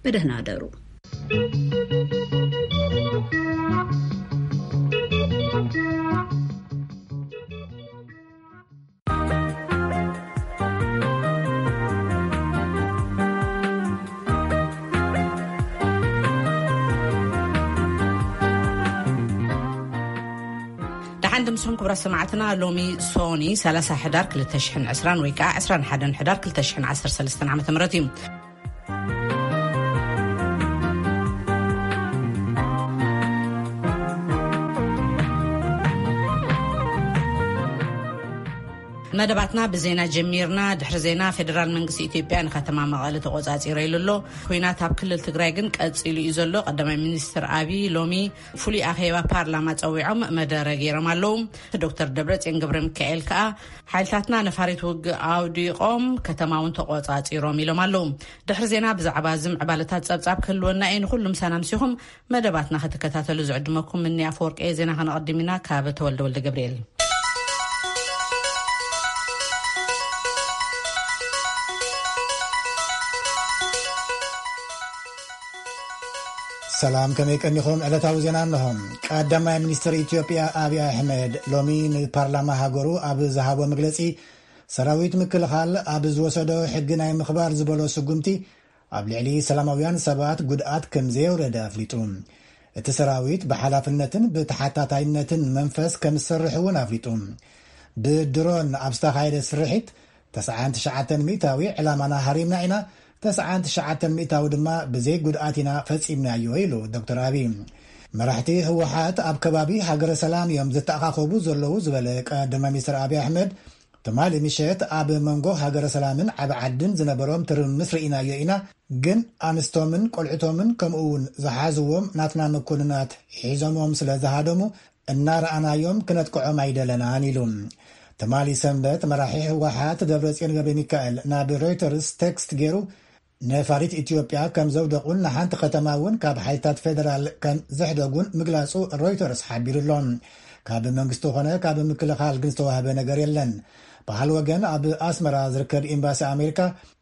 ብደህና ኣደሩ። ደሓን ድምስኹም ክቡራት ሰማዕትና። ሎሚ ሶኒ ሰላሳ ሕዳር ክልተ ሽሕን ዕስራን ወይ ከዓ ዕስራን ሓደን ሕዳር ክልተ ሽሕን ዓሰርተ ሰለስተን ዓመተ ምህረት እዩ። መደባትና ብዜና ጀሚርና። ድሕሪ ዜና፣ ፌደራል መንግስቲ ኢትዮጵያ ንከተማ መቐለ ተቆጻጺረ ኢሉ ኣሎ። ኩናት ኣብ ክልል ትግራይ ግን ቀጺሉ እዩ ዘሎ። ቀዳማይ ሚኒስትር ኣቢ ሎሚ ፍሉይ ኣኼባ ፓርላማ ጸዊዖም መደረ ገይሮም ኣለዉ። ዶክተር ደብረጽዮን ገብረ ሚካኤል ከኣ ሓይልታትና ነፋሪት ውግእ ኣውዲቖም ከተማ እውን ተቆጻጺሮም ኢሎም ኣለዉ። ድሕሪ ዜና ብዛዕባ እዚ ምዕባለታት ጸብጻብ ክህልወና እዩ። ንኹሉ ምሳና ምሲኹም መደባትና ክትከታተሉ ዝዕድመኩም እኒ ኣፈወርቂ እየ። ዜና ከነቐድም ኢና ካብ ተወልደ ወልደ ገብርኤል። ሰላም፣ ከመይ ቀኒኹም? ዕለታዊ ዜና እንሆ። ቀዳማይ ሚኒስትር ኢትዮጵያ ኣብይ ኣሕመድ ሎሚ ንፓርላማ ሃገሩ ኣብ ዝሃቦ መግለጺ፣ ሰራዊት ምክልኻል ኣብ ዝወሰዶ ሕጊ ናይ ምኽባር ዝበሎ ስጉምቲ ኣብ ልዕሊ ሰላማውያን ሰባት ጉድኣት ከም ዘየውረደ ኣፍሊጡ። እቲ ሰራዊት ብሓላፍነትን ብተሓታታይነትን መንፈስ ከም ዝሰርሕ እውን ኣፍሊጡ። ብድሮን ኣብ ዝተኻየደ ስርሒት ተስዓን ትሽዓተን ሚእታዊ ዕላማና ሃሪምና ኢና፣ ተስዓን ትሽዓተን ሚእታዊ ድማ ብዘይ ጉድኣት ኢና ፈጺምናዮ ኢሉ ዶክተር ኣብይ። መራሕቲ ህወሓት ኣብ ከባቢ ሃገረ ሰላም እዮም ዝተኣኻኸቡ ዘለዉ ዝበለ ቀዳማይ ሚኒስትር ኣብይ ኣሕመድ፣ ትማሊ ምሸት ኣብ መንጎ ሃገረ ሰላምን ዓቢ ዓድን ዝነበሮም ትርምስ ርኢናዮ ኢና፣ ግን ኣንስቶምን ቆልዕቶምን ከምኡ እውን ዝሓዝዎም ናትና መኮንናት ሒዞሞም ስለ ዝሃደሙ እናረኣናዮም ክነጥቅዖም ኣይደለናን ኢሉ። ትማሊ ሰንበት መራሒ ህወሓት ደብረጽዮን ገብረ ሚካኤል ናብ ሮይተርስ ቴክስት ገይሩ ነፋሪት ኢትዮጵያ ከም ዘውደቑን ንሓንቲ ከተማ እውን ካብ ሓይልታት ፌደራል ከም ዘሕደጉን ምግላጹ ሮይተርስ ሓቢሩ ኣሎ። ካብ መንግስቲ ኾነ ካብ ምክልኻል ግን ዝተዋህበ ነገር የለን። ብኻል ወገን ኣብ ኣስመራ ዝርከብ ኤምባሲ ኣሜሪካ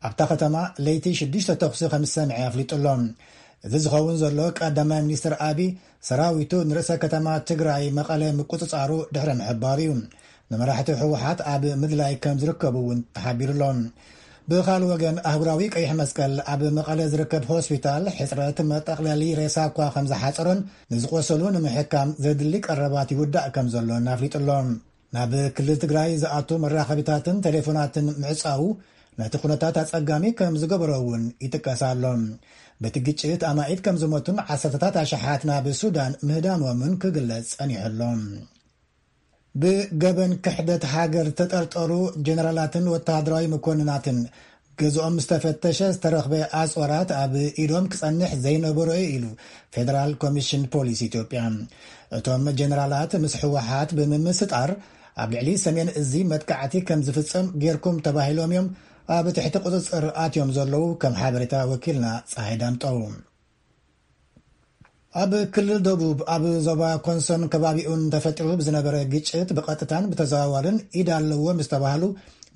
ኣብታ ከተማ ለይቲ ሽዱሽተ ተኹሲ ከም ዝሰምዐ ኣፍሊጡ ኣሎ። እዚ ዝኸውን ዘሎ ቀዳማይ ሚኒስትር ኣቢ ሰራዊቱ ንርእሰ ከተማ ትግራይ መቐለ ምቁጽጻሩ ድሕሪ ምሕባሩ እዩ። ንመራሕቲ ህወሓት ኣብ ምድላይ ከም ዝርከቡ እውን ተሓቢሩ ኣሎ። ብኻል ወገን ኣህጉራዊ ቀይሕ መስቀል ኣብ መቐለ ዝርከብ ሆስፒታል ሕጽረት መጠቕለሊ ሬሳ እኳ ከም ዝሓጸሮን ንዝቆሰሉ ንምሕካም ዘድሊ ቀረባት ይውዳእ ከም ዘሎን ኣፍሊጡ ኣሎ። ናብ ክልል ትግራይ ዝኣቱ መራኸቢታትን ቴሌፎናትን ምዕጻዉ ነቲ ኩነታት ኣጸጋሚ ከም ዝገበሮ እውን ይጥቀስ ኣሎ። በቲ ግጭት ኣማኢት ከም ዝሞቱን ዓሰርተታት ኣሽሓት ናብ ሱዳን ምህዳሞምን ክግለጽ ጸኒሑ ኣሎ። ብገበን ክሕደት ሃገር ዝተጠርጠሩ ጀነራላትን ወተሃደራዊ መኮንናትን ገዝኦም ዝተፈተሸ ዝተረኽበ ኣጽዋራት ኣብ ኢዶም ክጸንሕ ዘይነበሮ እዩ ኢሉ ፌደራል ኮሚሽን ፖሊስ ኢትዮጵያ። እቶም ጀነራላት ምስ ህወሓት ብምምስጣር ኣብ ልዕሊ ሰሜን እዚ መጥቃዕቲ ከም ዝፍጸም ጌርኩም ተባሂሎም እዮም ኣብ ትሕቲ ቁጽጽር ኣትዮም ዘለዉ፣ ከም ሓበሬታ ወኪልና ፀሃይ ዳምጠው። ኣብ ክልል ደቡብ ኣብ ዞባ ኮንሶን ከባቢኡን ተፈጢሩ ብዝነበረ ግጭት ብቐጥታን ብተዘዋዋርን ኢድ ኣለዎም ዝተባህሉ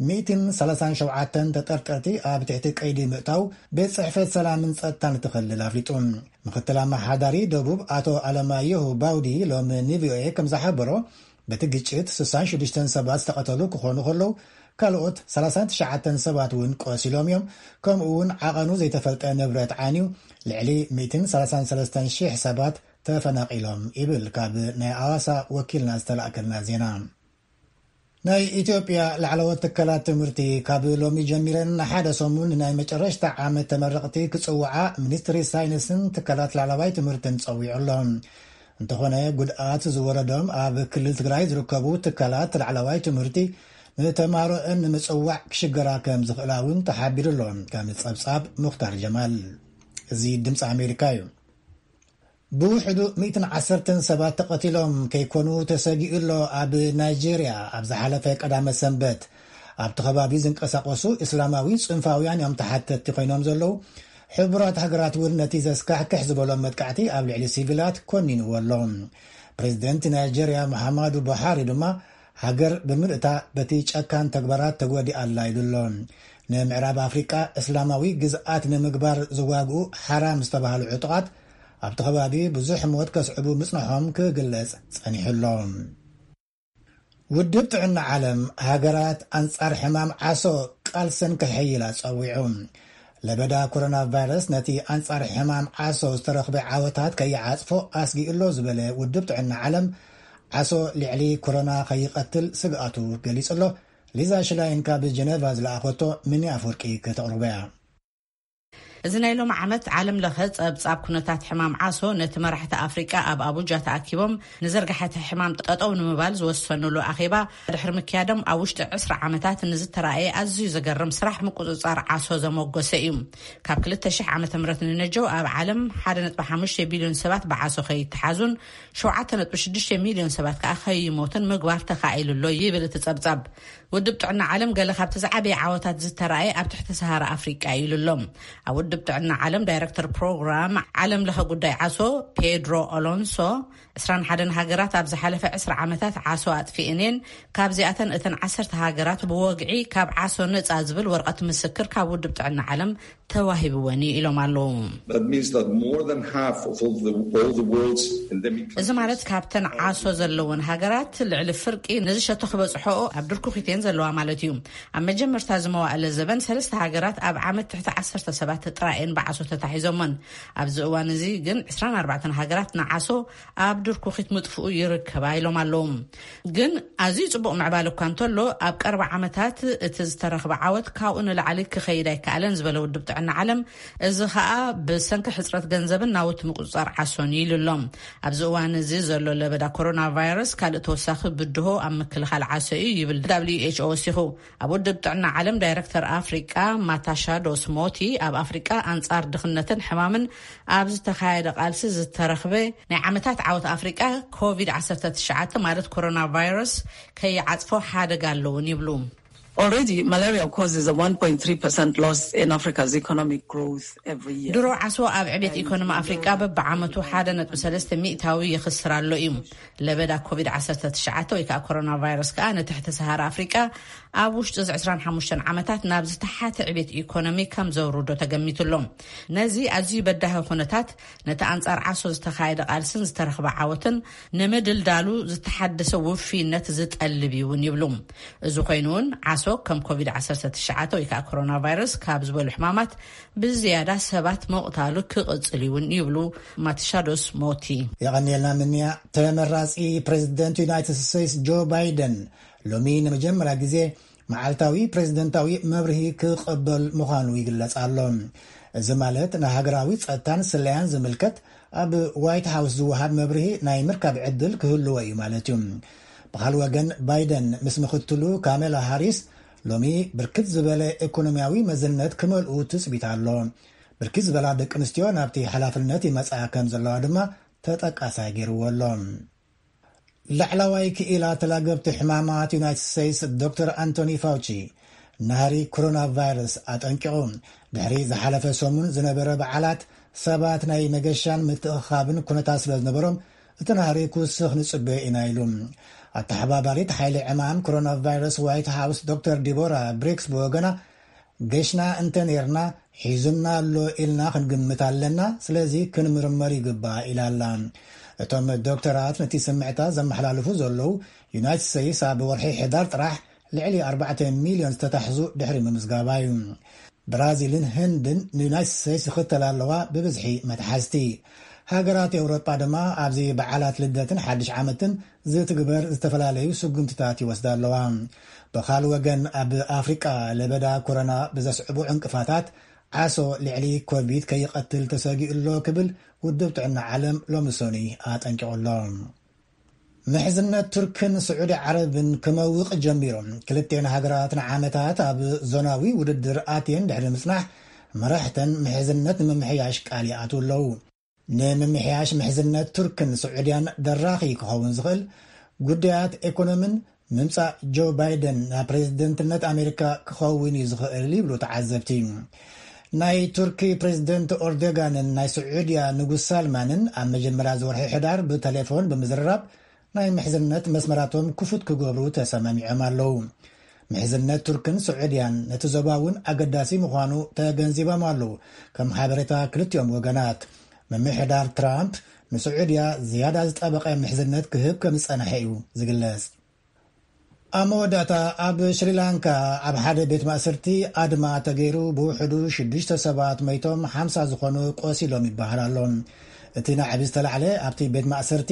ሚእትን ሰላሳን ሸውዓተን ተጠርጠርቲ ኣብ ትሕቲ ቀይዲ ምእታው ቤት ጽሕፈት ሰላምን ጸጥታን እቲ ክልል ኣፍሊጡ። ምክትል ኣመሓዳሪ ደቡብ ኣቶ ኣለማየሁ ባውዲ ሎሚ ንቪኦኤ ከም ዝሓበሮ፣ በቲ ግጭት ስሳን ሽዱሽተን ሰባት ዝተቐተሉ ክኾኑ ከለዉ፣ ካልኦት ሰላሳን ትሽዓተን ሰባት እውን ቆሲሎም እዮም። ከምኡ እውን ዓቐኑ ዘይተፈልጠ ንብረት ዓንዩ፣ ልዕሊ ሚእትን ሰላሳን ሰለስተን ሽሕ ሰባት ተፈናቒሎም ይብል ካብ ናይ ኣዋሳ ወኪልና ዝተላእከልና ዜና። ናይ ኢትዮጵያ ላዕለዎት ትካላት ትምህርቲ ካብ ሎሚ ጀሚረን ንሓደ ሰሙን ናይ መጨረሽታ ዓመት ተመረቕቲ ክጽውዓ ሚኒስትሪ ሳይንስን ትካላት ላዕለዋይ ትምህርትን ጸዊዑ ኣሎ። እንተኾነ፣ ጉድኣት ዝወረዶም ኣብ ክልል ትግራይ ዝርከቡ ትካላት ላዕለዋይ ትምህርቲ ንተማሃሮአን ንምጽዋዕ ክሽገራ ከም ዝኽእላ እውን ተሓቢሩ ኣሎ። ከም ጸብጻብ ሙኽታር ጀማል። እዚ ድምፂ ኣሜሪካ እዩ። ብውሕዱ ሚእትን ዓሰርተን ሰባት ተቐቲሎም ከይኮኑ ተሰጊኡ ኣሎ። ኣብ ናይጄርያ ኣብ ዝሓለፈ ቀዳመ ሰንበት ኣብቲ ከባቢ ዝንቀሳቐሱ እስላማዊ ጽንፋውያን እዮም ተሓተትቲ ኮይኖም ዘለዉ። ሕቡራት ሃገራት እውን ነቲ ዘስካሕክሕ ዝበሎም መጥቃዕቲ ኣብ ልዕሊ ሲቪላት ኮኒንዎ ኣሎ። ፕሬዚደንት ናይጄርያ ሙሓማዱ ቡሃሪ ድማ ሃገር ብምልእታ በቲ ጨካን ተግባራት ተጎዲኣ ኣላ ኢሉ ኣሎ። ንምዕራብ ኣፍሪቃ እስላማዊ ግዝኣት ንምግባር ዝዋግኡ ሓራም ዝተባህሉ ዕጡቓት ኣብቲ ከባቢ ብዙሕ ሞት ከስዕቡ ምጽንሖም ክግለጽ ጸኒሑ ኣሎ። ውድብ ጥዕና ዓለም ሃገራት ኣንጻር ሕማም ዓሶ ቃልሰን ከሐይላ ጸዊዑ። ለበዳ ኮሮና ቫይረስ ነቲ ኣንጻር ሕማም ዓሶ ዝተረኽበ ዓወታት ከይዓጽፎ ኣስጊኡ ኣሎ ዝበለ ውድብ ጥዕና ዓለም፣ ዓሶ ልዕሊ ኮሮና ከይቐትል ስግኣቱ ገሊጹ ኣሎ። ሊዛ ሽላይን ካብ ጀነቫ ዝለኣኸቶ ምኒ ኣፍወርቂ ከተቕርቦ እያ። እዚ ናይ ሎም ዓመት ዓለም ለኸ ጸብጻብ ኩነታት ሕማም ዓሶ ነቲ መራሕቲ ኣፍሪቃ ኣብ ኣቡጃ ተኣኪቦም ንዘርጋሕቲ ሕማም ጠጠው ንምባል ዝወሰኑሉ ኣኼባ ድሕሪ ምክያዶም፣ ኣብ ውሽጢ ዕስራ ዓመታት ንዝተራእየ ኣዝዩ ዘገርም ስራሕ ምቁጽጻር ዓሶ ዘመጎሰ እዩ። ካብ ክልተ ሽሕ ዓመተ ምህረት ንነጀው ኣብ ዓለም ሓደ ነጥቢ ሓሙሽተ ቢልዮን ሰባት ብዓሶ ከይተሓዙን ሸውዓተ ነጥቢ ሽዱሽተ ሚልዮን ሰባት ከኣ ከይሞቱን ምግባር ተኻኢሉ ኣሎ ይብል እቲ ጸብጻብ። ውድብ ጥዕና ዓለም ገለ ካብቲ ዝዓበየ ዓወታት ዝተራእየ ኣብ ትሕቲ ሰሃራ ኣፍሪቃ እዩ ኢሉ ኣሎ። ኣብ ውድብ ጥዕና ዓለም ዳይረክተር ፕሮግራም ዓለም ለኸ ጉዳይ ዓሶ ፔድሮ ኦሎንሶ፣ ዕስራን ሓደን ሃገራት ኣብ ዝሓለፈ ዕስራ ዓመታት ዓሶ ኣጥፊእን እየን፣ ካብዚኣተን እተን ዓሰርተ ሃገራት ብወግዒ ካብ ዓሶ ነጻ ዝብል ወረቐት ምስክር ካብ ውድብ ጥዕና ዓለም ተዋሂብወን እዩ ኢሎም ኣለዉ። That means that more than half of all the, all the world's endemic እዚ ማለት ካብተን ዓሶ ዘለወን ሃገራት ልዕሊ ፍርቂ ነዚ ሸቶ ክበጽሖኦ ኣብ ድርኩኺት እየን ዘለዋ ማለት እዩ። ኣብ መጀመርታ እዚ መዋእለ ዘበን ሰለስተ ሃገራት ኣብ ዓመት ትሕቲ ዓሰርተ ሰባት ጥራይ እየን ብዓሶ ተታሒዞመን። ኣብዚ እዋን እዚ ግን ዕስራን ኣርባዕተን ሃገራት ንዓሶ ኣብ ድርኩኺት ምጥፍኡ ይርከባ ኢሎም ኣለዉ። ግን ኣዝዩ ጽቡቕ ምዕባለ እኳ እንተሎ፣ ኣብ ቀረባ ዓመታት እቲ ዝተረኽበ ዓወት ካብኡ ንላዕሊ ክኸይድ ኣይከኣለን ዝበለ ውድብ ጥዕና ዓለም፣ እዚ ኸኣ ብሰንኪ ሕጽረት ገንዘብን ናውቲ ምቁጽጻር ዓሶን እዩ ኢሉ ኣሎ። ኣብዚ እዋን እዚ ዘሎ ለበዳ ኮሮና ቫይረስ ካልእ ተወሳኺ ብድሆ ኣብ ምክልኻል ዓሶ እዩ ይብል ደብሊው ኤች ኦ ወሲኹ። ኣብ ውድብ ጥዕና ዓለም ዳይረክተር ኣፍሪቃ ማታሻዶስ ሞቲ፣ ኣብ ኣፍሪቃ ኣንጻር ድኽነትን ሕማምን ኣብ ዝተኻየደ ቃልሲ ዝተረኽበ ናይ ዓመታት ዓወት ኣፍሪቃ ኮቪድ ዓሰርተ ትሽዓተ ማለት ኮሮና ቫይረስ ከይዓጽፎ ሓደጋ ኣለውን ይብሉ። Already, malaria causes a one point three percent loss in Africa's economic growth every year. ድሮ ዓሶ ኣብ ዕቤት ኢኮኖሚ ኣፍሪቃ በብዓመቱ ሓደ ነጥቢ ሰለስተ ሚእታዊ ይኽስር ኣሎ እዩ። ለበዳ ኮቪድ ዓሰርተ ትሽዓተ ወይ ከዓ ኮሮና ቫይረስ ከዓ ንትሕቲ ሰሃራ ኣፍሪቃ ኣብ ውሽጢ እዚ ዕስራን ሓሙሽተን ዓመታት ናብ ዝተሓተ ዕቤት ኢኮኖሚ ከም ዘውርዶ ተገሚቱ ኣሎ። ነዚ ኣዝዩ በዳሂ ኩነታት ነቲ ኣንጻር ዓሶ ዝተኻየደ ቃልስን ዝተረኽበ ዓወትን ንምድልዳሉ ዝተሓደሰ ውፍይነት ዝጠልብ እዩ እውን ይብሉ። እዚ ኮይኑ እውን ዓሶ ከም ኮቪድ ዓሰርተ ትሽዓተ ወይ ከዓ ኮሮና ቫይረስ ካብ ዝበሉ ሕማማት ብዝያዳ ሰባት ምቕታሉ ክቕጽል እዩ እውን ይብሉ ማትሻዶስ ሞቲ። የቐንየልና ምንያ። ተመራጺ ፕሬዚደንት ዩናይትድ ስቴትስ ጆ ባይደን ሎሚ ንመጀመርያ ግዜ መዓልታዊ ፕሬዚደንታዊ መብርሂ ክቕበል ምዃኑ ይግለጽ ኣሎ። እዚ ማለት ንሃገራዊ ጸጥታን ስለያን ዝምልከት ኣብ ዋይት ሃውስ ዝወሃብ መብርሂ ናይ ምርካብ ዕድል ክህልዎ እዩ ማለት እዩ። ብኻል ወገን ባይደን ምስ ምኽትሉ ካሜላ ሃሪስ ሎሚ ብርክት ዝበለ ኢኮኖሚያዊ መዝነት ክመልኡ ትጽቢት ኣሎ። ብርክት ዝበላ ደቂ ኣንስትዮ ናብቲ ሓላፍነት ይመጽኣ ከም ዘለዋ ድማ ተጠቃሳይ ገይርዎ ኣሎ። ላዕላዋይ ክኢላ ተላገብቲ ሕማማት ዩናይትድ ስቴትስ ዶክተር ኣንቶኒ ፋውቺ፣ ናህሪ ኮሮና ቫይረስ ኣጠንቂቑ። ድሕሪ ዝሓለፈ ሰሙን ዝነበረ በዓላት ሰባት ናይ መገሻን ምትእኽኻብን ኩነታት ስለ ዝነበሮም፣ እቲ ናህሪ ክውስኽ ንጽበዮ ኢና ኢሉ። ኣተሓባባሪት ሓይሊ ዕማም ኮሮና ቫይረስ ዋይት ሃውስ ዶክተር ዲቦራ ብሪክስ ብወገና፣ ገሽና እንተ ኔርና ሒዙና ኣሎ ኢልና ክንግምት ኣለና፣ ስለዚ ክንምርመር ይግባእ ኢላ ኣላ። እቶም ዶክተራት ነቲ ስምዕታ ዘመሓላልፉ ዘለዉ፣ ዩናይትድ ስቴትስ ኣብ ወርሒ ሕዳር ጥራሕ ልዕሊ ኣርባዕተ ሚልዮን ዝተታሕዙ ድሕሪ ምምዝጋባ እዩ። ብራዚልን ህንድን ንዩናይትድ ስቴትስ ይኽተላ ኣለዋ ብብዝሒ መትሓዝቲ። ሃገራት ኤውሮጳ ድማ ኣብዚ በዓላት ልደትን ሓድሽ ዓመትን ዝትግበር ዝተፈላለዩ ስጉምትታት ይወስዳ ኣለዋ። ብኻል ወገን ኣብ ኣፍሪቃ ለበዳ ኮሮና ብዘስዕቡ ዕንቅፋታት ዓሶ ልዕሊ ኮቪድ ከይቐትል ተሰጊኡ ኣሎ ክብል ውድብ ጥዕና ዓለም ሎሚ ሰኑይ ኣጠንቂቑ ኣሎ። ምሕዝነት ቱርክን ስዑዲ ዓረብን ክመውቕ ጀሚሩ። ክልቴን ሃገራት ንዓመታት ኣብ ዞናዊ ውድድር ኣትየን ድሕሪ ምጽናሕ፣ መራሕተን ምሕዝነት ንምምሕያሽ ቃል ይኣትዉ ኣለዉ። ንምምሕያሽ ምሕዝነት ቱርክን ስዑድያን ደራኺ ክኸውን ዝኽእል ጉዳያት ኤኮኖምን ምምጻእ ጆ ባይደን ናብ ፕሬዝደንትነት ኣሜሪካ ክኸውን እዩ ዝኽእል ይብሉ ተዓዘብቲ። ናይ ቱርኪ ፕሬዝደንት ኦርዶጋንን ናይ ስዑድያ ንጉስ ሳልማንን ኣብ መጀመርያ ዝወርሒ ሕዳር ብተሌፎን ብምዝርራብ ናይ ምሕዝነት መስመራቶም ክፉት ክገብሩ ተሰማሚዖም ኣለዉ። ምሕዝነት ቱርክን ስዑድያን ነቲ ዞባ እውን ኣገዳሲ ምዃኑ ተገንዚቦም ኣለዉ። ከም ሓበሬታ ክልቲኦም ወገናት፣ ምምሕዳር ትራምፕ ንስዑድያ ዝያዳ ዝጠበቐ ምሕዝነት ክህብ ከም ዝጸንሐ እዩ ዝግለጽ። ኣብ መወዳእታ፣ ኣብ ሽሪላንካ ኣብ ሓደ ቤት ማእሰርቲ ኣድማ ተገይሩ፣ ብውሕዱ ሽዱሽተ ሰባት መይቶም፣ ሓምሳ ዝኾኑ ቆሲሎም ይበሃል ኣሎ። እቲ ናዕቢ ዝተላዕለ ኣብቲ ቤት ማእሰርቲ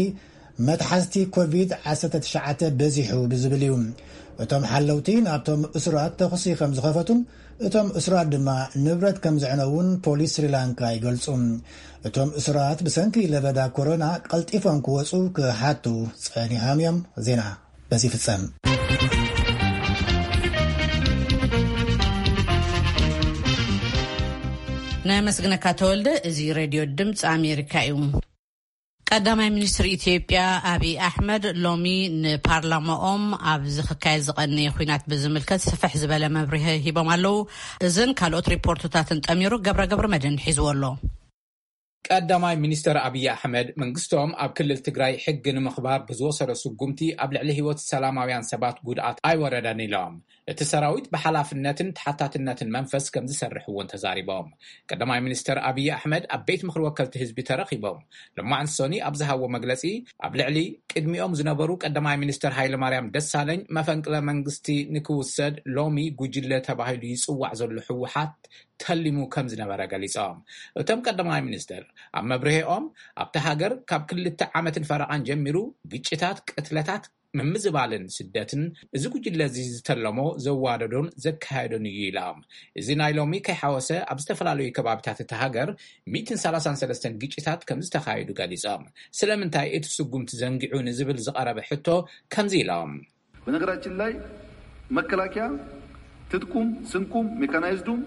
መትሓዝቲ ኮቪድ ዓሰርተ ትሽዓተ በዚሑ ብዝብል እዩ። እቶም ሓለውቲ ናብቶም እሱራት ተኹሲ ከም ዝኸፈቱን እቶም እሱራት ድማ ንብረት ከም ዘዕነውን ፖሊስ ስሪላንካ ይገልጹ። እቶም እሱራት ብሰንኪ ለበዳ ኮሮና ቀልጢፎም ክወጹ ክሓቱ ጸኒሖም እዮም። ዜና በዚ ይፍጸም። ነመስግነካ ተወልደ። እዚ ሬድዮ ድምፂ ኣሜሪካ እዩ። ቀዳማይ ሚኒስትር ኢትዮጵያ ኣብይ ኣሕመድ ሎሚ ንፓርላማኦም ኣብዚ ክካየድ ዝቐነየ ኲናት ብዝምልከት ስፍሕ ዝበለ መብርሂ ሂቦም ኣለዉ። እዝን ካልኦት ሪፖርትታትን ጠሚሩ ገብረ ገብረ መድህን ሒዝዎ ኣሎ። ቀዳማይ ሚኒስተር ኣብይ ኣሕመድ መንግስቶም ኣብ ክልል ትግራይ ሕጊ ንምኽባር ብዝወሰዶ ስጉምቲ ኣብ ልዕሊ ህይወት ሰላማውያን ሰባት ጉድኣት ኣይወረደን ኢሎም። እቲ ሰራዊት ብሓላፍነትን ተሓታትነትን መንፈስ ከም ዝሰርሕ እውን ተዛሪቦም። ቀዳማይ ሚኒስተር ኣብይ ኣሕመድ ኣብ ቤት ምኽሪ ወከልቲ ህዝቢ ተረኺቦም። ሎማዕንቲ ሶኒ ኣብ ዝሃብዎ መግለጺ፣ ኣብ ልዕሊ ቅድሚኦም ዝነበሩ ቀዳማይ ሚኒስተር ሃይለማርያም ደሳለኝ መፈንቅለ መንግስቲ ንክውሰድ ሎሚ ጉጅለ ተባሂሉ ይጽዋዕ ዘሎ ህወሓት ተሊሙ ከም ዝነበረ ገሊጾም። እቶም ቀዳማይ ሚኒስትር ኣብ መብርሂኦም፣ ኣብታ ሃገር ካብ ክልተ ዓመትን ፈረቓን ጀሚሩ ግጭታት፣ ቅትለታት፣ ምምዝባልን ስደትን እዚ ጉጅለ እዚ ዝተለሞ ዘዋደዶን ዘካየዶን እዩ ኢሎም። እዚ ናይ ሎሚ ከይሓወሰ ኣብ ዝተፈላለዩ ከባቢታት እታ ሃገር ሚእትን ሰላሳን ሰለስተን ግጭታት ከም ዝተኻየዱ ገሊጾም። ስለምንታይ እቲ ስጉምቲ ዘንጊዑ ንዝብል ዝቐረበ ሕቶ ከምዚ ኢሎም። በነገራችን ላይ መከላከያ ትጥቁም ስንቁም ሜካናይዝዱም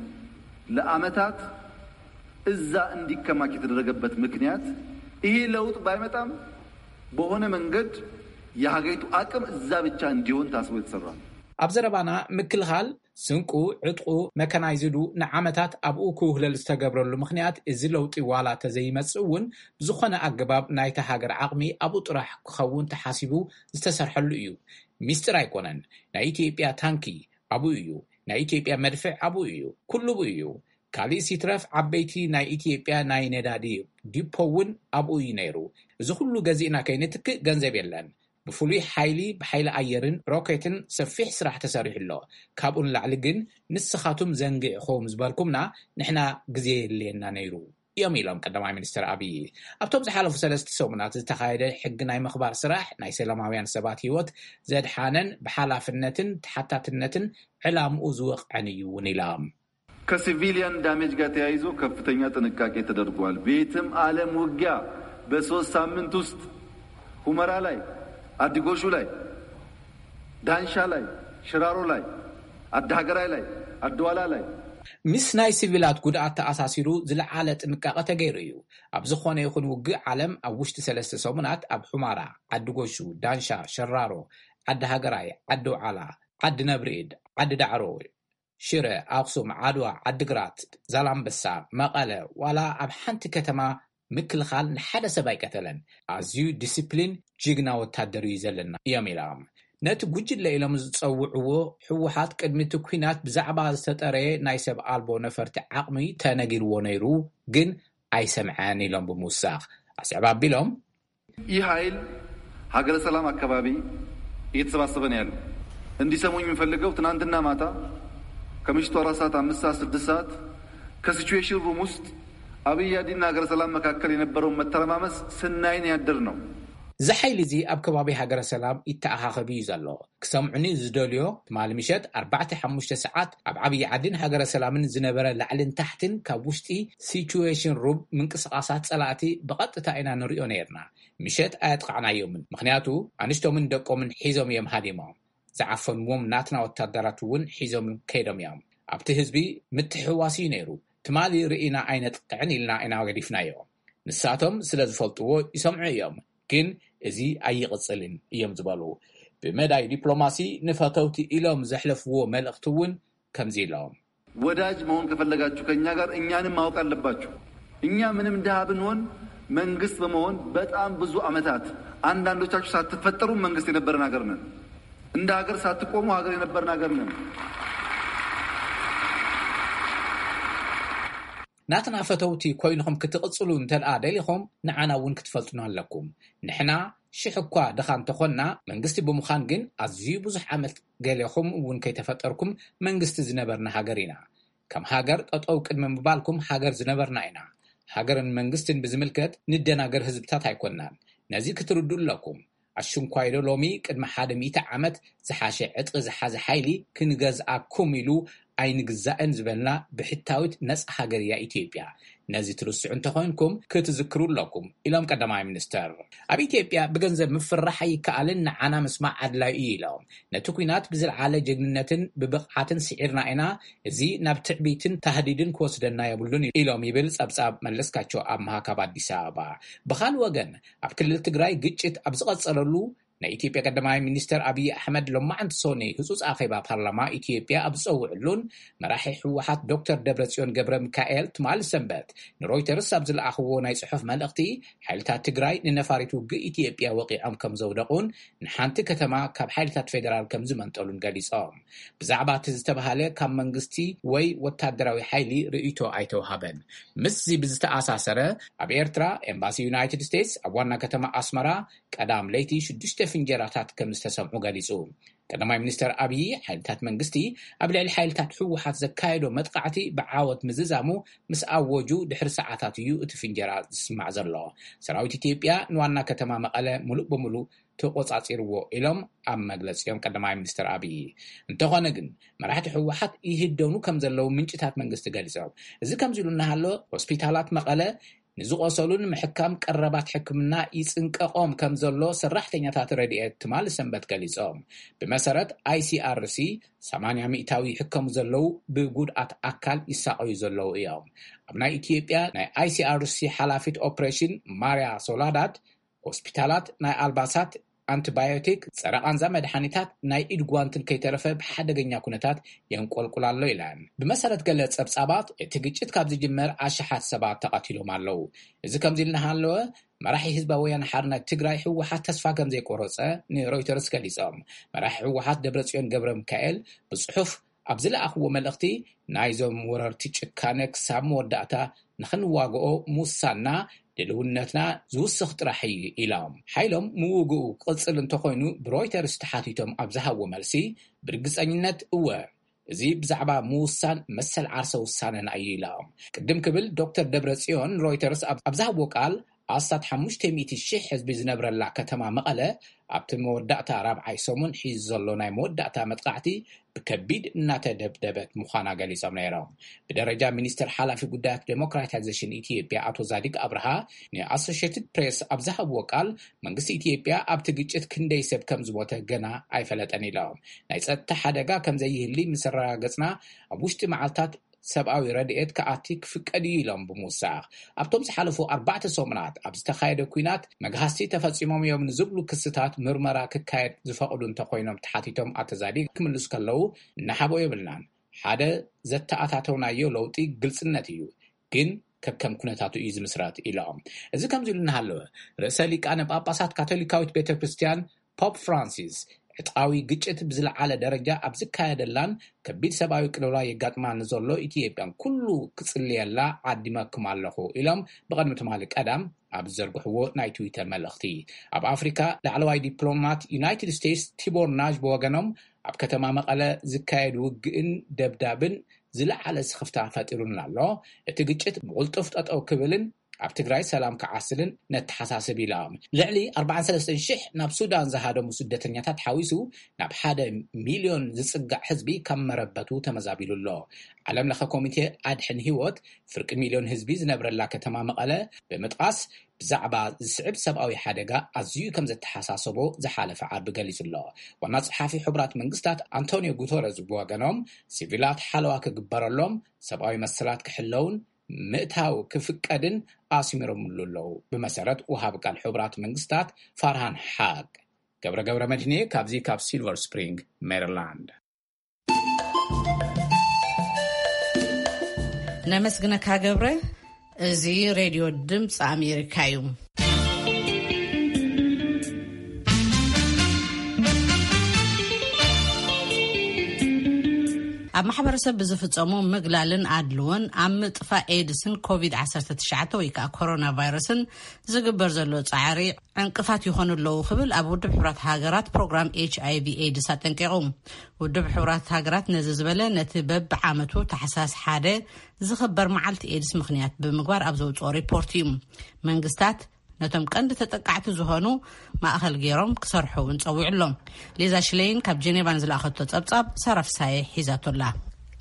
ለዓመታት እዛ እንዲከማች የተደረገበት ምክንያት ይሄ ለውጥ ባይመጣም በሆነ መንገድ የሀገሪቱ አቅም እዛ ብቻ እንዲሆን ታስቦ የተሰራ ነው። ኣብ ዘረባና ምክልኻል ስንቁ፣ ዕጥቁ፣ መካናይዝዱ ንዓመታት ኣብኡ ክውህለል ዝተገብረሉ ምኽንያት እዚ ለውጢ ዋላ ተዘይመጽእ እውን ብዝኾነ ኣገባብ ናይታ ሃገር ዓቕሚ ኣብኡ ጥራሕ ክኸውን ተሓሲቡ ዝተሰርሐሉ እዩ። ሚስጥር ኣይኮነን። ናይ ኢትዮጵያ ታንኪ ኣብኡ እዩ። ናይ ኢትዮጵያ መድፍዕ ኣብኡ እዩ። ኩሉ ብኡ እዩ። ካልእስ ይትረፍ ዓበይቲ ናይ ኢትዮጵያ ናይ ነዳዲ ዲፖ እውን ኣብኡ እዩ ነይሩ። እዚ ኩሉ ገዚእና ከይንትክእ ገንዘብ የለን። ብፍሉይ ሓይሊ ብሓይሊ ኣየርን ሮኬትን ሰፊሕ ስራሕ ተሰሪሑ ኣሎ። ካብኡ ንላዕሊ ግን ንስኻቱም ዘንጊዕኹም ዝበልኩምና ንሕና ግዜ የድልየና ነይሩ እዮም ኢሎም ቀዳማይ ሚኒስትር ኣብይ። ኣብቶም ዝሓለፉ ሰለስተ ሰሙናት ዝተኻየደ ሕጊ ናይ ምኽባር ስራሕ ናይ ሰላማውያን ሰባት ህይወት ዘድሓነን ብሓላፍነትን ተሓታትነትን ዕላምኡ ዝወቕዐን እዩ እውን ኢሎም። ከሲቪሊያን ዳሜጅ ጋር ተያይዞ ከፍተኛ ጥንቃቄ ተደርጓል። ቤትም ዓለም ውጊያ በሶስት ሳምንት ውስጥ ሁመራ ላይ፣ አዲጎሹ ላይ፣ ዳንሻ ላይ፣ ሽራሮ ላይ፣ አዳሀገራይ ላይ፣ አድዋላ ላይ ምስ ናይ ሲቪላት ጉድኣት ተኣሳሲሩ ዝለዓለ ጥንቃቐ ተገይሩ እዩ። ኣብ ዝኾነ ይኹን ውግእ ዓለም ኣብ ውሽጢ ሰለስተ ሰሙናት ኣብ ሑማራ፣ ዓዲ ጎሹ፣ ዳንሻ፣ ሸራሮ፣ ዓዲ ሃገራይ፣ ዓዲ ውዓላ፣ ዓዲ ነብርኢድ፣ ዓዲ ዳዕሮ፣ ሽረ፣ ኣኽሱም፣ ዓድዋ፣ ዓዲግራት፣ ዛላምበሳ፣ መቐለ፣ ዋላ ኣብ ሓንቲ ከተማ ምክልኻል ንሓደ ሰብ ኣይቀተለን። ኣዝዩ ዲሲፕሊን ጅግና ወታደር እዩ ዘለና እዮም ኢሎም። ነቲ ጉጅለ ኢሎም ዝጸውዕዎ ህወሓት ቅድሚ እቲ ኲናት ብዛዕባ ዝተጠረየ ናይ ሰብ ኣልቦ ነፈርቲ ዓቕሚ ተነጊርዎ ነይሩ፣ ግን ኣይሰምዐን ኢሎም ብምውሳኽ ኣስዕብ ኣቢሎም። ይህ ኃይል ሀገረ ሰላም አካባቢ እየተሰባሰበ ነው ያለው። እንዲሰሙኝ የምፈልገው ትናንትና ማታ ከምሽቱ አራት ሰዓት፣ አምስት ሰዓት፣ ስድስት ሰዓት ከሲቹዌሽን ሩም ውስጥ አብይ አዲና ሀገረ ሰላም መካከል የነበረውን መተረማመስ ስናይን ያደር ነው። እዚ ሓይሊ እዚ ኣብ ከባቢ ሃገረ ሰላም ይተኣኻኸብ እዩ ዘሎ። ክሰምዑኒ ዝደልዮ ትማሊ ምሸት ኣርባዕተ ሓሙሽተ ሰዓት ኣብ ዓብዪ ዓድን ሃገረ ሰላምን ዝነበረ ላዕልን ታሕትን ካብ ውሽጢ ሲቹዌሽን ሩም ምንቅስቓሳት ጸላእቲ ብቐጥታ ኢና ንሪኦ ነይርና። ምሸት ኣየጥቓዕናዮምን፣ ምኽንያቱ ኣንሽቶምን ደቆምን ሒዞም እዮም ሃዲሞም። ዝዓፈንዎም ናትና ወታደራት እውን ሒዞም ከይዶም እዮም። ኣብቲ ህዝቢ ምትሕውዋስ እዩ ነይሩ። ትማሊ ርኢና ኣይነጥቅዕን ኢልና ኢና ገዲፍናዮ። ንሳቶም ስለ ዝፈልጥዎ ይሰምዑ እዮም፣ ግን እዚ ኣይቕጽልን እዮም ዝበሉ። ብመዳይ ዲፕሎማሲ ንፈተውቲ ኢሎም ዘሕለፍዎ መልእኽቲ እውን ከምዚ ኢሎም። ወዳጅ መሆን ከፈለጋችሁ ከእኛ ጋር እኛንም ማወቅ አለባችሁ። እኛ ምንም ድሃ ብንሆን መንግስት በመሆን በጣም ብዙ ዓመታት አንዳንዶቻችሁ ሳትፈጠሩ መንግስት የነበረን ሀገር ነን። እንደ ሀገር ሳትቆሙ ሀገር የነበርን ሀገር ነን። ናትና ፈተውቲ ኮይንኹም ክትቕጽሉ እንተደኣ ደሊኹም፣ ንዓና እውን ክትፈልጡና ኣለኩም። ንሕና ሽሕ እኳ ድኻ እንተኾንና፣ መንግስቲ ብምዃን ግን ኣዝዩ ብዙሕ ዓመት ገሌኹም እውን ከይተፈጠርኩም መንግስቲ ዝነበርና ሃገር ኢና። ከም ሃገር ጠጠው ቅድሚ ምባልኩም ሃገር ዝነበርና ኢና። ሃገርን መንግስትን ብዝምልከት ንደናገር ህዝብታት ኣይኮንናን። ነዚ ክትርድኡ ኣለኩም። ኣሽንኳይዶ ሎሚ ቅድሚ ሓደ ሚእቲ ዓመት ዝሓሸ ዕጥቂ ዝሓዘ ሓይሊ ክንገዝኣኩም ኢሉ ኣይንግዛእን ዝበልና ብሕታዊት ነጻ ሃገር እያ ኢትዮጵያ። ነዚ ትርስዑ እንተኾይንኩም ክትዝክሩ ኣለኩም ኢሎም ቀዳማይ ሚኒስተር። ኣብ ኢትዮጵያ ብገንዘብ ምፍራሕ ኣይከኣልን፣ ንዓና ምስማዕ ኣድላዩ እዩ ኢሎም። ነቲ ኲናት ብዝለዓለ ጀግንነትን ብብቕዓትን ስዒርና ኢና፣ እዚ ናብ ትዕቢትን ታህዲድን ክወስደና የብሉን ኢሎም ይብል ጸብጻብ መለስካቸው ኣምሃ ካብ ኣዲስ ኣበባ። ብኻል ወገን ኣብ ክልል ትግራይ ግጭት ኣብ ዝቐጸለሉ ናይ ኢትዮጵያ ቀዳማይ ሚኒስተር ኣብይ ኣሕመድ ሎማዕንቲ ሶኒ ህጹጽ ኣኼባ ፓርላማ ኢትዮጵያ ኣብ ዝጸውዕሉን መራሒ ህወሓት ዶክተር ደብረጽዮን ገብረ ሚካኤል ትማሊ ሰንበት ንሮይተርስ ኣብ ዝለኣኽዎ ናይ ጽሑፍ መልእኽቲ፣ ሓይልታት ትግራይ ንነፋሪት ውግእ ኢትዮጵያ ወቒዖም ከም ዘውደቑን ንሓንቲ ከተማ ካብ ሓይልታት ፌደራል ከም ዝመንጠሉን ገሊጾም። ብዛዕባ እቲ ዝተባሃለ ካብ መንግስቲ ወይ ወታደራዊ ሓይሊ ርእይቶ ኣይተውሃበን። ምስዚ ብዝተኣሳሰረ፣ ኣብ ኤርትራ ኤምባሲ ዩናይትድ ስቴትስ ኣብ ዋና ከተማ ኣስመራ ቀዳም ለይቲ ሽዱሽተ ፍንጀራታት ከም ዝተሰምዑ ገሊጹ። ቀዳማይ ሚኒስተር ኣብዪ፣ ሓይልታት መንግስቲ ኣብ ልዕሊ ሓይልታት ህወሓት ዘካየዶ መጥቃዕቲ ብዓወት ምዝዛሙ ምስ ኣወጁ ድሕሪ ሰዓታት እዩ እቲ ፍንጀራ ዝስማዕ ዘሎ። ሰራዊት ኢትዮጵያ ንዋና ከተማ መቐለ ሙሉእ ብሙሉእ ተቆጻጺርዎ ኢሎም ኣብ መግለጺኦም ቀዳማይ ሚኒስተር ኣብዪ። እንተኾነ ግን መራሕቲ ህወሓት ይህደኑ ከም ዘለዉ ምንጭታት መንግስቲ ገሊጾም። እዚ ከምዚ ኢሉ እናሃሎ ሆስፒታላት መቐለ ንዝቆሰሉን ምሕካም ቀረባት ሕክምና ይጽንቀቆም ከም ዘሎ ሰራሕተኛታት ረድኤት ትማሊ ሰንበት ገሊጾም። ብመሰረት ኣይሲኣርሲ ሰማንያ ሚእታዊ ይሕከሙ ዘለዉ ብጉድኣት ኣካል ይሳቐዩ ዘለዉ እዮም። ኣብ ናይ ኢትዮጵያ ናይ ኣይሲኣርሲ ሓላፊት ኦፕሬሽን ማርያ ሶላዳት ሆስፒታላት ናይ ኣልባሳት፣ ኣንቲባዮቲክ፣ ጸረ ቃንዛ መድሓኒታት፣ ናይ ኢድ ጓንትን ከይተረፈ ብሓደገኛ ኩነታት የንቆልቁል ኣሎ ኢለን። ብመሰረት ገለ ጸብጻባት እቲ ግጭት ካብ ዝጅመር ኣሽሓት ሰባት ተቐቲሎም ኣለዉ። እዚ ከምዚ ኢሉ እናሃለወ መራሒ ህዝባዊ ወያነ ሓርነት ትግራይ ህወሓት ተስፋ ከም ዘይቆረጸ ንሮይተርስ ገሊጾም። መራሒ ህወሓት ደብረጽዮን ገብረ ሚካኤል ብጽሑፍ ኣብ ዝለኣኽዎ መልእኽቲ፣ ናይዞም ወረርቲ ጭካነ ክሳብ መወዳእታ ንኽንዋግኦ ምውሳንና ድልውነትና ዝውስኽ ጥራሕ እዩ ኢሎም። ሓይሎም ምውግኡ ክቕጽል እንተኾይኑ ብሮይተርስ ተሓቲቶም ኣብ ዝሃብዎ መልሲ፣ ብርግጸኝነት እወ፣ እዚ ብዛዕባ ምውሳን መሰል ዓርሰ ውሳነና እዩ ኢሎም። ቅድም ክብል ዶክተር ደብረ ጽዮን ሮይተርስ ኣብ ኣብ ዝሃብዎ ቃል፣ ኣስታት ሓሙሽተ ሚእቲ ሺሕ ህዝቢ ዝነብረላ ከተማ መቐለ ኣብቲ መወዳእታ ራብዓይ ሰሙን ሒዙ ዘሎ ናይ መወዳእታ መጥቃዕቲ ብከቢድ እናተደብደበት ምዃና ገሊጾም ነይሮም። ብደረጃ ሚኒስትር ሓላፊ ጉዳያት ዴሞክራታይዜሽን ኢትዮጵያ ኣቶ ዛዲግ ኣብርሃ ንኣሶሽየትድ ፕሬስ ኣብ ዝሃብዎ ቃል፣ መንግስቲ ኢትዮጵያ ኣብቲ ግጭት ክንደይ ሰብ ከም ዝሞተ ገና ኣይፈለጠን ኢሎም። ናይ ጸጥታ ሓደጋ ከም ዘይህሊ ምስ ኣረጋገጽና፣ ኣብ ውሽጢ መዓልታት ሰብኣዊ ረድኤት ክኣቲ ክፍቀድ እዩ ኢሎም ብምውሳኽ፣ ኣብቶም ዝሓለፉ ኣርባዕተ ሰሙናት ኣብ ዝተኻየደ ኲናት መግሃስቲ ተፈጺሞም እዮም ንዝብሉ ክስታት ምርመራ ክካየድ ዝፈቕዱ እንተኾይኖም ተሓቲቶም ኣቶ ዛዲግ ክምልሱ ከለዉ፣ እናሓቦ የብልናን። ሓደ ዘተኣታተውናዮ ለውጢ ግልጽነት እዩ፣ ግን ከከም ኩነታቱ እዩ ዝምስረት ኢሎም። እዚ ከምዚ ኢሉ እናሃለወ፣ ርእሰ ሊቃነ ጳጳሳት ካቶሊካዊት ቤተ ክርስቲያን ፖፕ ፍራንሲስ ዕጥቃዊ ግጭት ብዝለዓለ ደረጃ ኣብ ዝካየደላን ከቢድ ሰብኣዊ ቅልውላው የጋጥማ ንዘሎ ኢትዮጵያን ኩሉ ክጽልየላ ዓዲመኩም ኣለኹ ኢሎም ብቐድሚ ትማሊ ቀዳም ኣብ ዝዘርግሕዎ ናይ ትዊተር መልእኽቲ። ኣብ ኣፍሪካ ላዕለዋይ ዲፕሎማት ዩናይትድ ስቴትስ ቲቦር ናዥ ብወገኖም ኣብ ከተማ መቐለ ዝካየድ ውግእን ደብዳብን ዝለዓለ ስኽፍታ ፈጢሩልና ኣሎ። እቲ ግጭት ብቕልጡፍ ጠጠው ክብልን ኣብ ትግራይ ሰላም ክዓስልን ነተሓሳስብ ኢሎም። ልዕሊ ኣርባዓን ሰለስተን ሽሕ ናብ ሱዳን ዝሃደሙ ስደተኛታት ሓዊሱ ናብ ሓደ ሚልዮን ዝጽጋዕ ህዝቢ ካብ መረበቱ ተመዛቢሉ ኣሎ። ዓለም ለኸ ኮሚቴ ኣድሕን ህይወት ፍርቂ ሚልዮን ህዝቢ ዝነብረላ ከተማ መቐለ ብምጥቓስ ብዛዕባ ዝስዕብ ሰብኣዊ ሓደጋ ኣዝዩ ከም ዘተሓሳሰቦ ዝሓለፈ ዓርቢ ገሊጹ ኣሎ። ዋና ጸሓፊ ሕቡራት መንግስታት ኣንቶኒዮ ጉተረዝ ብወገኖም ሲቪላት ሓለዋ ክግበረሎም፣ ሰብኣዊ መሰላት ክሕለውን ምእታው ክፍቀድን ኣስሚሮምሉ ኣለዉ። ብመሰረት ውሃብ ቃል ሕቡራት መንግስታት ፋርሃን ሓቅ። ገብረ ገብረ መድህኔ ካብዚ ካብ ሲልቨር ስፕሪንግ ሜሪላንድ። ነመስግነካ ገብረ። እዚ ሬድዮ ድምፂ ኣሜሪካ እዩ። ኣብ ማሕበረሰብ ብዝፍጸሙ ምግላልን ኣድልዎን ኣብ ምጥፋእ ኤድስን ኮቪድ ዓሰርተ ትሽዓተ ወይ ከዓ ኮሮና ቫይረስን ዝግበር ዘሎ ጻዕሪ ዕንቅፋት ይኾኑ ኣለዉ ክብል ኣብ ውድብ ሕቡራት ሃገራት ፕሮግራም ኤች ኣይ ቪ ኤድስ ኣጠንቂቑ። ውድብ ሕቡራት ሃገራት ነዚ ዝበለ ነቲ በብዓመቱ ታሕሳስ ሓደ ዝኽበር መዓልቲ ኤድስ ምኽንያት ብምግባር ኣብ ዘውፅኦ ሪፖርት እዩ። መንግስታት ነቶም ቀንዲ ተጠቃዕቲ ዝኾኑ ማእኸል ገይሮም ክሰርሑ እውን ጸዊዑ ኣሎ። ሊዛ ሽሌይን ካብ ጀኔቫ ንዝለኣኸቶ ጸብጻብ ሳራ ፍሳየ ሒዛቶ ኣላ።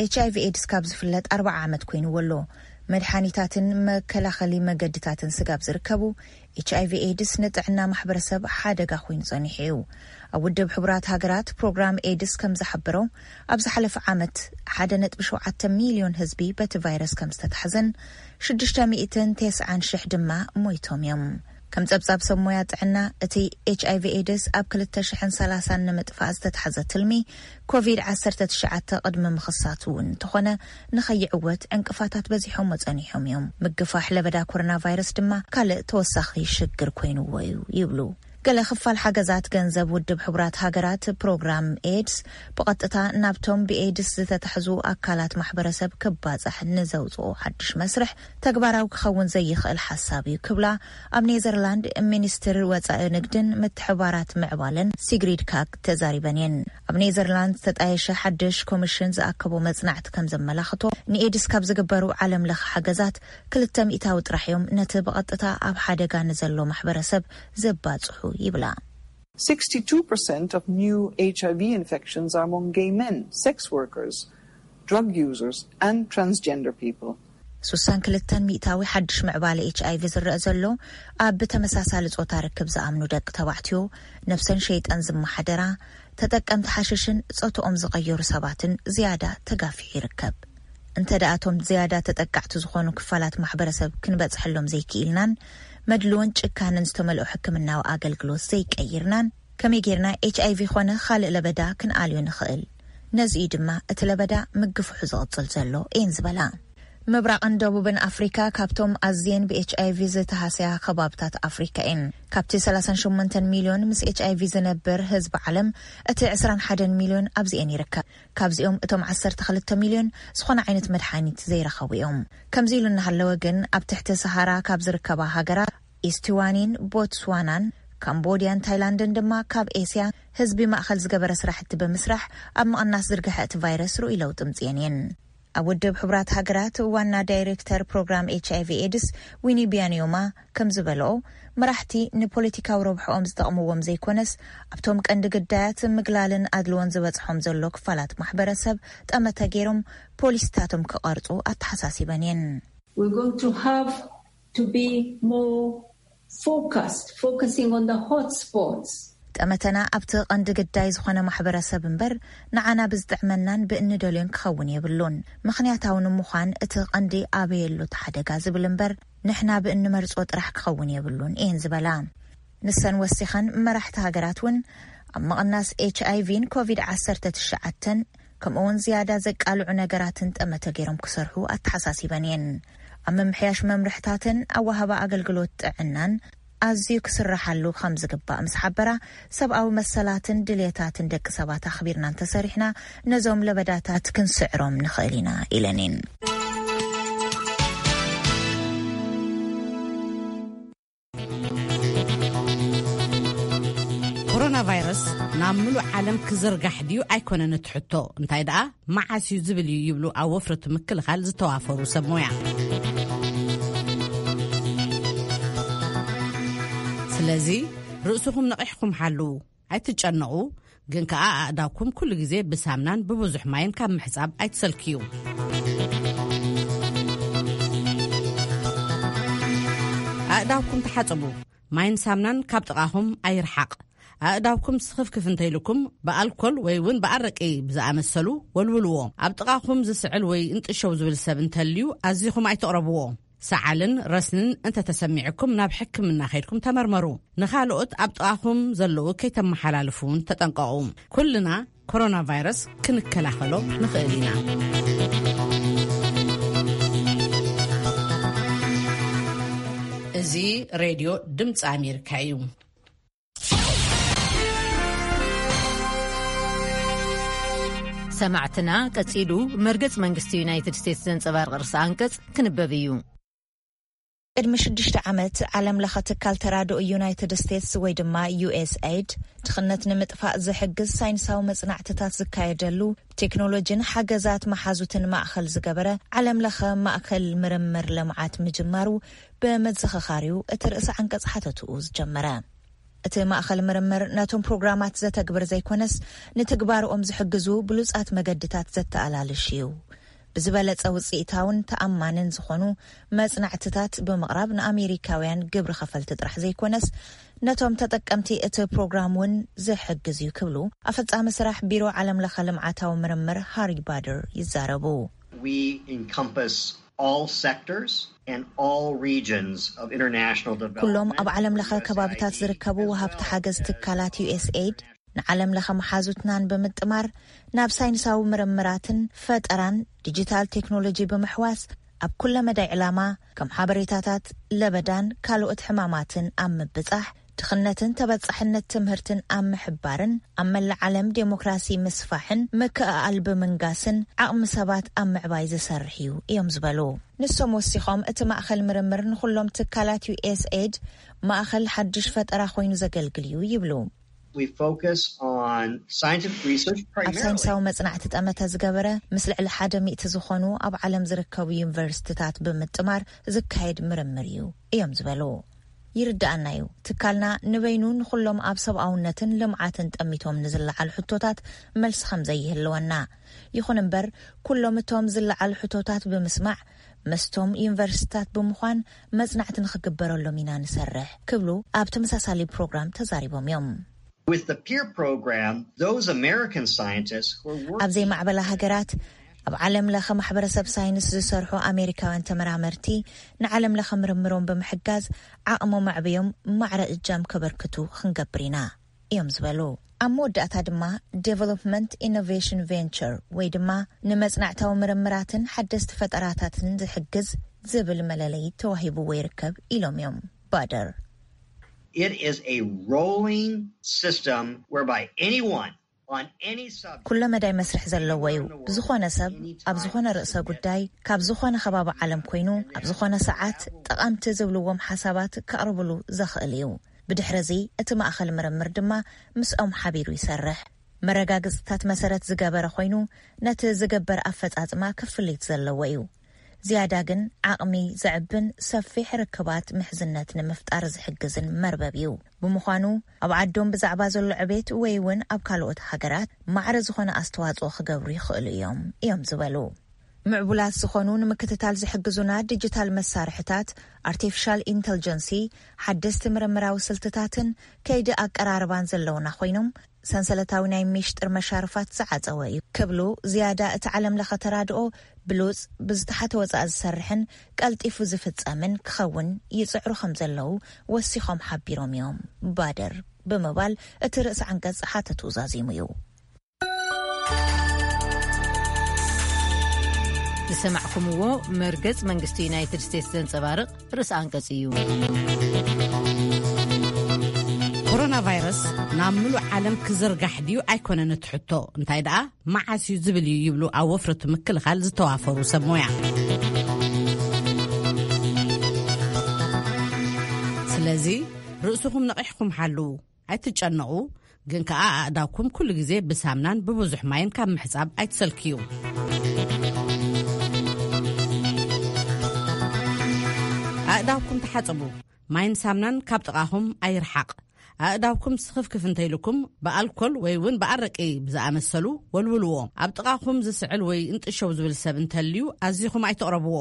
ኤች ኣይ ቪ ኤድስ ካብ ዝፍለጥ ኣርባዓ ዓመት ኮይንዎ ኣሎ። መድሓኒታትን መከላኸሊ መገድታትን ስጋብ ዝርከቡ፣ ኤች ኣይ ቪ ኤድስ ንጥዕና ማሕበረሰብ ሓደጋ ኮይኑ ጸኒሑ እዩ። ኣብ ውድብ ሕቡራት ሃገራት ፕሮግራም ኤድስ ከም ዝሓበሮ፣ ኣብ ዝሓለፈ ዓመት ሓደ ነጥቢ ሸውዓተ ሚልዮን ህዝቢ በቲ ቫይረስ ከም ዝተታሕዘን ሽዱሽተ ሚእትን ተስዓን ሽሕ ድማ ሞይቶም እዮም። ከም ጸብጻብ ሰብ ሞያ ጥዕና፣ እቲ ኤች ኣይ ቪ ኤድስ ኣብ ክልተ ሽሕን ሰላሳን ንምጥፋእ ዝተታሕዘ ትልሚ ኮቪድ ዓሰርተ ትሽዓተ ቅድሚ ምኽሳቱ እውን እንተኾነ፣ ንኸይዕወት ዕንቅፋታት በዚሖሞ ጸኒሖም እዮም። ምግፋሕ ለበዳ ኮሮና ቫይረስ ድማ ካልእ ተወሳኺ ሽግር ኮይንዎ እዩ ይብሉ። ገለ ክፋል ሓገዛት ገንዘብ ውድብ ሕቡራት ሃገራት ፕሮግራም ኤድስ ብቐጥታ ናብቶም ብኤድስ ዝተታሕዙ ኣካላት ማሕበረሰብ ክባጻሕ ንዘውፅኦ ሓድሽ መስርሕ ተግባራዊ ክኸውን ዘይኽእል ሓሳብ እዩ ክብላ ኣብ ኔዘርላንድ ሚኒስትር ወፃኢ ንግድን ምትሕባራት ምዕባለን ሲግሪድ ካክ ተዛሪበን እየን። ኣብ ኔዘርላንድ ዝተጣየሸ ሓድሽ ኮሚሽን ዝኣከቦ መጽናዕቲ ከም ዘመላኽቶ፣ ንኤድስ ካብ ዝግበሩ ዓለም ለኸ ሓገዛት ክልተ ሚእታዊ ጥራሕ እዮም ነቲ ብቐጥታ ኣብ ሓደጋ ንዘሎ ማሕበረሰብ ዘባጽሑ ይብላ። Sixty-two percent of new H I V infections are among gay men, sex workers, drug users, and transgender people. ሱሳን ክልተን ሚእታዊ ሓድሽ ምዕባለ ኤች ኣይ ቪ ዝረአ ዘሎ ኣብ ብተመሳሳሊ ጾታ ርክብ ዝኣምኑ ደቂ ተባዕትዮ፣ ነብሰን ሸይጠን ዝመሓደራ፣ ተጠቀምቲ ሓሽሽን ጾትኦም ዝቐየሩ ሰባትን ዝያዳ ተጋፊሑ ይርከብ። እንተ ደኣ እቶም ዝያዳ ተጠቃዕቲ ዝኾኑ ክፋላት ማሕበረሰብ ክንበጽሐሎም ዘይክኢልናን መድልዎን ጭካንን ዝተመልኦ ሕክምናዊ ኣገልግሎት ዘይቀይርናን፣ ከመይ ጌርና ኤች ኣይ ቪ ኾነ ካልእ ለበዳ ክንኣልዮ ንኽእል? ነዚ እዩ ድማ እቲ ለበዳ ምግፍሑ ዝቕጽል ዘሎ እየን ዝበላ። ምብራቕን ደቡብን ኣፍሪካ ካብቶም ኣዝየን ብ ኤች ኣይ ቪ ዝተሃስያ ከባብታት ኣፍሪካ እየን። ካብቲ ሰላሳን ሸሞንተን ሚልዮን ምስ ኤች ኣይ ቪ ዝነብር ህዝቢ ዓለም፣ እቲ ዕስራን ሓደን ሚልዮን ኣብዚኤን ይርከብ። ካብዚኦም እቶም ዓሰርተ ክልተ ሚልዮን ዝኾነ ዓይነት መድሓኒት ዘይረኸቡ እዮም። ከምዚ ኢሉ እናሃለወ ግን፣ ኣብ ትሕቲ ሰሃራ ካብ ዝርከባ ሃገራት ኢስቲዋኒን ቦትስዋናን፣ ካምቦድያን ታይላንድን ድማ ካብ ኤስያ ህዝቢ ማእኸል ዝገበረ ስራሕቲ ብምስራሕ ኣብ ምቕናስ ዝርግሐ እቲ ቫይረስ ርኡይ ለውጢ ምፅየን እየን። ኣብ ውድብ ሕቡራት ሃገራት ዋና ዳይሬክተር ፕሮግራም ኤች ኣይ ቪ ኤድስ ዊኒ ቢያኒዮማ ከም ዝበልኦ፣ መራሕቲ ንፖለቲካዊ ረብሕኦም ዝጠቕምዎም ዘይኮነስ፣ ኣብቶም ቀንዲ ግዳያት ምግላልን ኣድልዎን ዝበጽሖም ዘሎ ክፋላት ማሕበረሰብ ጠመተ ገይሮም ፖሊሲታቶም ክቐርጹ ኣተሓሳሲበን እየን። We're going to have to be more focused, focusing on the hot spots. ጠመተና ኣብቲ ቀንዲ ግዳይ ዝኾነ ማሕበረሰብ እምበር፣ ንዓና ብዝጥዕመናን ብእንደልዮን ክኸውን የብሉን። ምኽንያታዊ ንምዃን እቲ ቀንዲ ኣበየሉ እቲ ሓደጋ ዝብል እምበር፣ ንሕና ብእንመርጾ ጥራሕ ክኸውን የብሉን እየን ዝበላ። ንሰን ወሲኸን፣ መራሕቲ ሃገራት እውን ኣብ ምቕናስ ኤች ኣይ ቪን ኮቪድ ዓሰርተ ትሽዓተን ከምኡ እውን ዝያዳ ዘቃልዑ ነገራትን ጠመተ ገይሮም ክሰርሑ ኣተሓሳሲበን እየን። ኣብ ምምሕያሽ መምርሕታትን ኣወሃባ ኣገልግሎት ጥዕናን ኣዝዩ ክስራሓሉ ከም ዝግባእ ምስ ሓበራ፣ ሰብኣዊ መሰላትን ድልየታትን ደቂ ሰባት ኣኽቢርና እንተሰሪሕና፣ ነዞም ለበዳታት ክንስዕሮም ንኽእል ኢና ኢለን እየን። ኮሮና ቫይረስ ናብ ምሉእ ዓለም ክዝርጋሕ ድዩ ኣይኮነን እቲ ሕቶ፣ እንታይ ደኣ መዓስ እዩ ዝብል እዩ ይብሉ ኣብ ወፍሪ እቲ ምክልኻል ዝተዋፈሩ ሰብ ሞያ። ስለዚ ርእስኹም ነቒሕኩም ሓልዉ፣ ኣይትጨነቑ፣ ግን ከኣ ኣእዳውኩም ኩሉ ግዜ ብሳምናን ብብዙሕ ማይን ካብ ምሕጻብ ኣይትሰልክዩ። ኣእዳውኩም ተሓጸቡ። ማይን ሳምናን ካብ ጥቓኹም ኣይርሓቕ። ኣእዳውኩም ስኽፍክፍ እንተኢልኩም ብኣልኮል ወይ እውን ብኣረቂ ብዝኣመሰሉ ወልውልዎ። ኣብ ጥቓኹም ዝስዕል ወይ እንጥሸው ዝብል ሰብ እንተልዩ ኣዚኹም ኣይትቕረብዎ። ሰዓልን ረስንን እንተተሰሚዕኩም ናብ ሕክምና ከይድኩም ተመርመሩ። ንኻልኦት ኣብ ጥቓኹም ዘለዉ ከይተመሓላልፉ እውን ተጠንቀቑ። ኩልና ኮሮና ቫይረስ ክንከላኸሎ ንኽእል ኢና። እዚ ሬድዮ ድምፂ ኣሜሪካ እዩ። ሰማዕትና፣ ቀጺሉ መርገጽ መንግስቲ ዩናይትድ ስቴትስ ዘንጸባርቕ ርእሰ ኣንቀጽ ክንበብ እዩ። ቅድሚ ሽዱሽተ ዓመት፣ ዓለም ለኸ ትካል ተራድኦ ዩናይትድ ስቴትስ ወይ ድማ ዩ ኤስ ኤድ፣ ድኽነት ንምጥፋእ ዝሕግዝ ሳይንሳዊ መጽናዕትታት ዝካየደሉ፣ ቴክኖሎጂን ሓገዛት መሓዙትን ማእኸል ዝገበረ ዓለም ለኸ ማእከል ምርምር ልምዓት ምጅማሩ፣ በመዘኸኻሪው እቲ ርእሰ ዓንቀጽ ሓተትኡ ዝጀመረ። እቲ ማእኸል ምርምር ነቶም ፕሮግራማት ዘተግብር ዘይኮነስ፣ ንትግባርኦም ዝሕግዙ ብሉጻት መገድታት ዘተኣላልሽ እዩ። ብዝበለጸ ውጽኢታውን ተኣማንን ዝኾኑ መጽናዕትታት ብምቕራብ፣ ንኣሜሪካውያን ግብሪ ኸፈልቲ ጥራሕ ዘይኮነስ፣ ነቶም ተጠቀምቲ እቲ ፕሮግራም እውን ዝሕግዝ እዩ ክብሉ ኣፈጻሚ ስራሕ ቢሮ ዓለም ለኸ ልምዓታዊ ምርምር ሃሪ ባደር ይዛረቡ። We encompass all sectors and all regions of international development. ኩሎም ኣብ ዓለም ለኸ ከባብታት ዝርከቡ ወሃብቲ ሓገዝ ትካላት ዩ ኤስ ኤድ ንዓለም ለኸ መሓዙትናን ብምጥማር፣ ናብ ሳይንሳዊ ምርምራትን ፈጠራን ዲጂታል ቴክኖሎጂ ብምሕዋስ፣ ኣብ ኩለ መዳይ ዕላማ፣ ከም ሓበሬታታት ለበዳን ካልኦት ሕማማትን ኣብ ምብጻሕ፣ ድኽነትን ተበጻሕነት ትምህርትን ኣብ ምሕባርን ኣብ መላእ ዓለም ዴሞክራሲ ምስፋሕን ምክእኣል ብምንጋስን ዓቕሚ ሰባት ኣብ ምዕባይ ዝሰርሕ እዩ እዮም ዝበሉ። ንሶም ወሲኾም፣ እቲ ማእኸል ምርምር ንኹሎም ትካላት ዩ ኤስ ኤድ ማእኸል ሓድሽ ፈጠራ ኮይኑ ዘገልግል እዩ ይብሉ። We focus on scientific research ኣብ primarily. ሳይንሳዊ መጽናዕቲ ጠመተ ዝገበረ፣ ምስ ልዕሊ ሓደ ሚእቲ ዝኾኑ ኣብ ዓለም ዝርከቡ ዩኒቨርሲቲታት ብምጥማር ዝካየድ ምርምር እዩ እዮም ዝበሉ። ይርድኣና እዩ፣ ትካልና ንበይኑ ንኹሎም ኣብ ሰብኣውነትን ልምዓትን ጠሚቶም ንዝለዓሉ ሕቶታት መልሲ ከም ዘይህልወና። ይኹን እምበር፣ ኩሎም እቶም ዝለዓሉ ሕቶታት ብምስማዕ፣ ምስቶም ዩኒቨርሲቲታት ብምዃን መጽናዕቲ ንኽግበረሎም ኢና ንሰርሕ ክብሉ ኣብ ተመሳሳሊ ፕሮግራም ተዛሪቦም እዮም። With the peer program, those American scientists who are working ኣብ ዘይማዕበላ ሃገራት፣ ኣብ ዓለም ለኸ ማሕበረሰብ ሳይንስ ዝሰርሑ ኣሜሪካውያን ተመራመርቲ፣ ንዓለም ለኸ ምርምሮም ብምሕጋዝ፣ ዓቕሞም ኣዕብዮም ማዕረ እጃም ከበርክቱ ክንገብር ኢና እዮም ዝበሉ። ኣብ መወዳእታ ድማ፣ ዴቨሎፕመንት ኢኖቬሽን ቬንቸር ወይ ድማ ንመጽናዕታዊ ምርምራትን ሓደስቲ ፈጠራታትን ዝሕግዝ ዝብል መለለዪ ተዋሂብዎ ይርከብ ኢሎም እዮም ባደር። It is a rolling system whereby anyone on any subject ኩለ መዳይ መስርሕ ዘለዎ እዩ። ዝኾነ ሰብ ኣብ ዝኾነ ርእሰ ጉዳይ ካብ ዝኾነ ከባቢ ዓለም ኮይኑ ኣብ ዝኾነ ሰዓት ጠቐምቲ ዝብልዎም ሓሳባት ከቕርብሉ ዘኽእል እዩ። ብድሕሪ እዚ እቲ ማእኸል ምርምር ድማ ምስኦም ሓቢሩ ይሰርሕ። መረጋግጽታት መሰረት ዝገበረ ኮይኑ ነቲ ዝግበር ኣፈጻጽማ ክፍሊት ዘለዎ እዩ። ዝያዳ ግን ዓቕሚ ዘዕብን ሰፊሕ ርክባት ምሕዝነት ንምፍጣር ዝሕግዝን መርበብ እዩ። ብምዃኑ ኣብ ዓዶም ብዛዕባ ዘሎ ዕቤት ወይ እውን ኣብ ካልኦት ሃገራት ማዕረ ዝኾነ ኣስተዋጽኦ ክገብሩ ይኽእሉ እዮም እዮም ዝበሉ። ምዕቡላት ዝኾኑ ንምክትታል ዝሕግዙና ዲጂታል መሳርሕታት፣ ኣርቲፊሻል ኢንተልጀንሲ፣ ሓደስቲ ምርምራዊ ስልትታትን ከይዲ ኣቀራርባን ዘለውና ኮይኖም፣ ሰንሰለታዊ ናይ ሚሽጥር መሻርፋት ዝዓጸወ እዩ ክብሉ ዝያዳ እቲ ዓለም ለኸ ተራድኦ ብሉጽ ብዝተሓተ ወጻኢ ዝሰርሕን ቀልጢፉ ዝፍጸምን ክኸውን ይጽዕሩ ከም ዘለዉ ወሲኾም ሓቢሮም እዮም። ባደር ብምባል እቲ ርእሲ ዓንቀጽ ሓተቱ ዛዚሙ እዩ። ዝሰማዕኩምዎ መርገጽ መንግስቲ ዩናይትድ ስቴትስ ዘንጸባርቕ ርእሲ ኣንቀጽ እዩ። ኮሮና ቫይረስ ናብ ምሉእ ዓለም ክዝርጋሕ ድዩ ኣይኮነን እቲ ሕቶ፣ እንታይ ደኣ መዓስ እዩ ዝብል እዩ ይብሉ ኣብ ወፍሪ ምክልኻል ዝተዋፈሩ ሰብ ሞያ። ስለዚ ርእስኹም ነቒሕኩም ሓልዉ። ኣይትጨነቑ፣ ግን ከኣ ኣእዳውኩም ኩሉ ግዜ ብሳምናን ብብዙሕ ማይን ካብ ምሕጻብ ኣይትሰልክዩ። ኣእዳውኩም ተሓጸቡ። ማይን ሳምናን ካብ ጥቓኹም ኣይርሓቕ። ኣእዳውኩም ስኽፍክፍ እንተኢልኩም ብኣልኮል ወይ እውን ብኣረቂ ብዝኣመሰሉ ወልውልዎ። ኣብ ጥቓኹም ዝስዕል ወይ እንጥሸው ዝብል ሰብ እንተልዩ ኣዚኹም ኣይትቕረብዎ።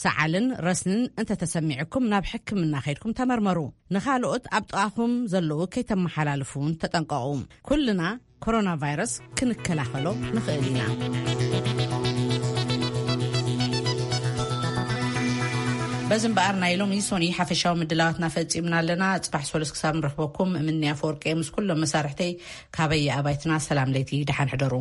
ሰዓልን ረስንን እንተተሰሚዕኩም ናብ ሕክምና ከይድኩም ተመርመሩ። ንኻልኦት ኣብ ጥቓኹም ዘለዉ ከይተመሓላልፉ እውን ተጠንቀቑ። ኩልና ኮሮና ቫይረስ ክንከላኸሎ ንኽእል ኢና። በዚ እምበኣር ናይ ሎሚ ሶኒ ሓፈሻዊ ምድላዋትና ፈጺምና ኣለና። ጽባሕ ሰሉስ ክሳብ ንረኽበኩም እምኒ ኣፈወርቂ ምስ ኩሎም መሳርሕተይ ካበየ ኣባይትና ሰላም ለይቲ ደሓን ሕደሩ።